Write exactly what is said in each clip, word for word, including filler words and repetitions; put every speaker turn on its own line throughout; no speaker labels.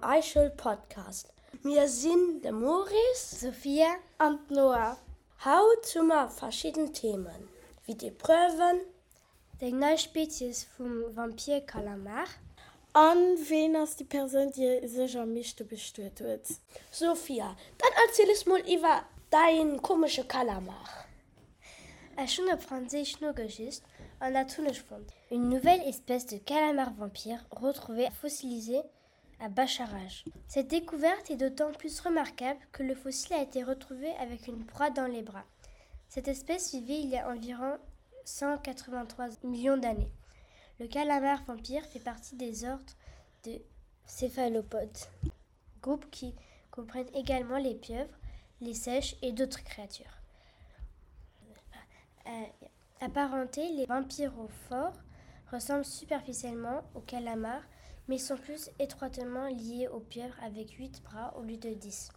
am iSchoul Podcast. Mir sinn de Maurice,
Sophia
an d'Noa.
Haut hu mer verschidden Themen, wéi d'Epreuven,
Déi nei Spezies vum Vampir-Kalamar.
An ween ass déi Persoun, déi sech am meeschte bestuet huet?
Sophia, dann erziel es mol iwwer däin komesche Kalamar.
Ech hunn op Franséisch nogesicht an dat hunn ech fonnt, Une nouvelle espèce de calamar vampire retrouvée fossilisée à Bascharage. Cette découverte est d'autant plus remarquable que le fossile a été retrouvé avec une proie dans les bras. Cette espèce vivait il y a environ cent quatre-vingt-trois millions d'années. Le calamar vampire fait partie des ordres de céphalopodes, groupe qui comprennent également les pieuvres, les seiches et d'autres créatures. Euh, apparentés, les vampyrophores ressemblent superficiellement aux calamars, mais sont plus étroitement liés aux pieuvres avec huit bras au lieu de dix.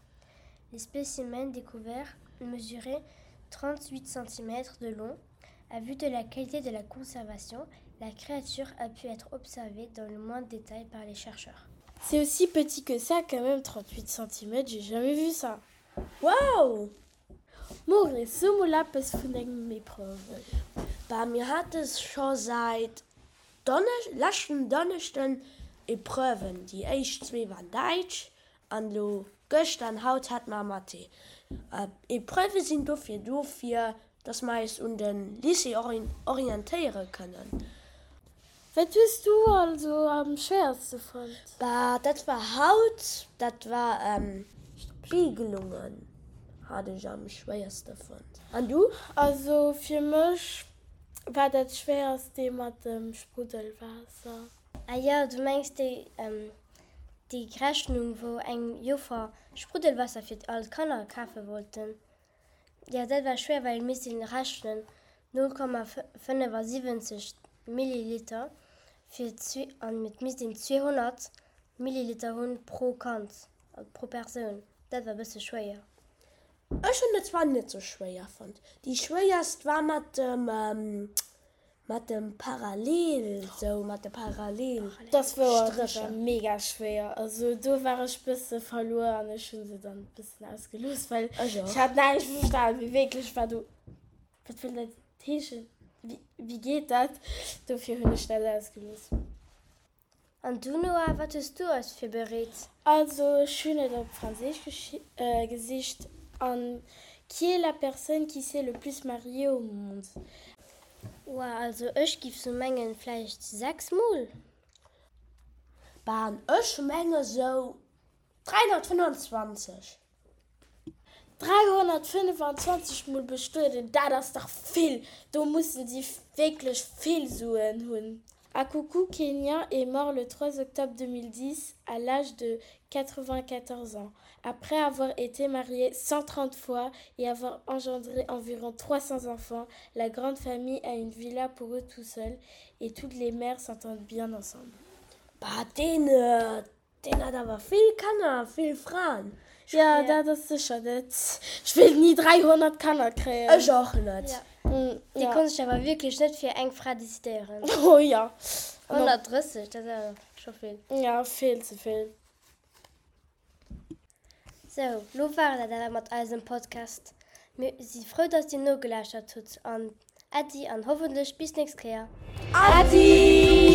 Les spécimens découverts mesuraient trente-huit centimètres de long. À vue de la qualité de la conservation, la créature a pu être observée dans le moindre détail par les chercheurs.
C'est aussi petit que ça, quand même, trente-huit centimètres, j'ai jamais vu ça.
Wow!
Maurice, so mol eppes vun dengem Epreuven.
Bah, mir hate scho säit Donnesch-, leschten Donneschden Epreuven. Déi éischt zwee waren Däitsch an elo gëschter an haut hate mer Mathé. Epreuve sinn dofir do, fir dass mer eis un de Lycée orientéiere kënnen.
Wat hues du also am schwéierste fonnt?
Bah, dat war haut, dat war Spiegelungen hat ech am schwéierste fonnt. An du?
Also fir mech war dat schwéierst dee mat dem Spruddelwaasser.
Ah jo, du mengs déi déi Rechnung, wou eng Joffer Spruddelwaasser fir all d'Kanner kafe wollten. Jo, dat war schwéier, well et misst een rechnen, null Komma fënnefasiwwenzeg Milliliter fir zwee, an et misst een zweehonnert Milliliter hunn pro Kand, pro Persoun. Dat war e bësse schwéier.
Ech hunn et zwar net sou schwéier fonnt. Déi schwéierst war mat dem mat dem Parallel, sou mat de Parallelstrécher.
Dat wor dat war mega schwéier. Also do war ech bësse verluer an ech hunn se dann bëssen ausgelooss, well
Ech och.
ech hat näischt verstan. Wéi wierklech war do, wat wëll dat heeschen? Wéi wéi geet dat? Dofir hunn ech dat ausgelooss.
An du Noah, wat hues du eis virbereet?
Also ech hunn et op Franséisch gesicht an Qui est la personne qui s'est le plus mariée au monde?
Wow, also ech giff sou mengen vläicht sechs mol?
Bah, an ech menge sou dräihonnertfënnwanzwanzeg.
dräihonnertfënnwanzwanzeg mol bestueden, dat ass dach vill! Do mussen si wierklech vill Suen hunn. Akuku Kenya est mort le trois octobre deux mille dix à l'âge de quatre-vingt-quatorze ans, après avoir été marié cent trente fois et avoir engendré environ trois cents enfants. La grande famille a une villa pour eux tout seuls et toutes les mères s'entendent bien ensemble.
Bah, deen, deen hat awer vill Kanner a vill Fraen.
Jo, dat ass sécher net. Ech wéilt ni dräihonnert Kanner kréien.
Ech och net.
Dee konnt sech awer wierklech net fir eng Fra decidéieren.
Oh jo.
honnertdrësseg, dat ass awer scho vill.
Jo, vill ze vill.
Sou, lo war et dat awer mat eisem Podcast. Mir si frou, dass dir nogelauschtert hutt an Äddi an hoffentlech bis nächst Kéier.
Äddi!